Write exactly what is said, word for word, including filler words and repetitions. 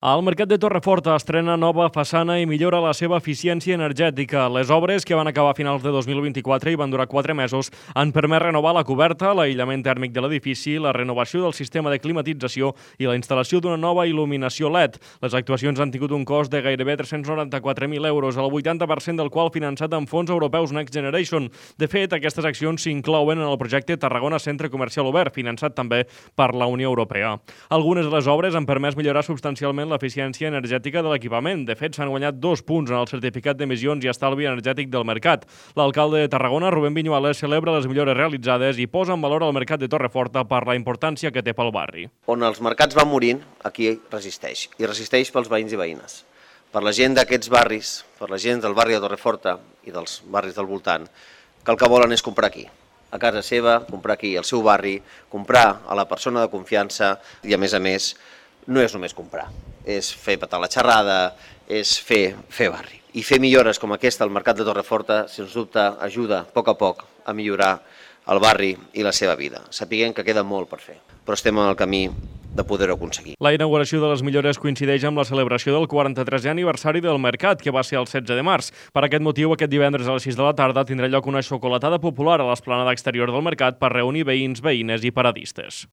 El Mercat de Torreforta estrena nova façana i millora la seva eficiència energètica. Les obres, que van acabar a finals de dos mil vint-i-quatre i van durar quatre mesos, han permès renovar la coberta, l'aïllament tèrmic de l'edifici, la renovació del sistema de climatització i la instal·lació d'una nova il·luminació L E D. Les actuacions han tingut un cost de gairebé tres-cents noranta-quatre mil euros, el vuitanta per cent del qual finançat amb fons europeus Next Generation. De fet, aquestes accions s'inclouen en el projecte Tarragona Centre Comercial Obert, finançat també per la Unió Europea. Algunes de les obres han permès millorar substancialment l'eficiència energètica de l'equipament. De fet, s'han guanyat dos punts en el certificat d'emissions i estalvi energètic del mercat. L'alcalde de Tarragona, Rubén Viñuales, celebra les millores realitzades i posa en valor el mercat de Torreforta per la importància que té pel barri. On els mercats van morint, aquí resisteix. I resisteix pels veïns i veïnes. Per la gent d'aquests barris, per la gent del barri de Torreforta i dels barris del voltant, que el que volen és comprar aquí. A casa seva, comprar aquí, al seu barri, comprar a la persona de confiança i, a més a més, no és només comprar, és fer petar la xerrada, és fer, fer barri. I fer millores com aquesta al mercat de Torreforta, sens dubte, ajuda a poc a poc a millorar el barri i la seva vida. Sapiguem que queda molt per fer, però estem en el camí de poder-ho aconseguir. La inauguració de les millores coincideix amb la celebració del quaranta-tresè aniversari del mercat, que va ser el setze de març. Per aquest motiu, aquest divendres a les sis de la tarda tindrà lloc una xocolatada popular a l'esplanada exterior del mercat per reunir veïns, veïnes i paradistes.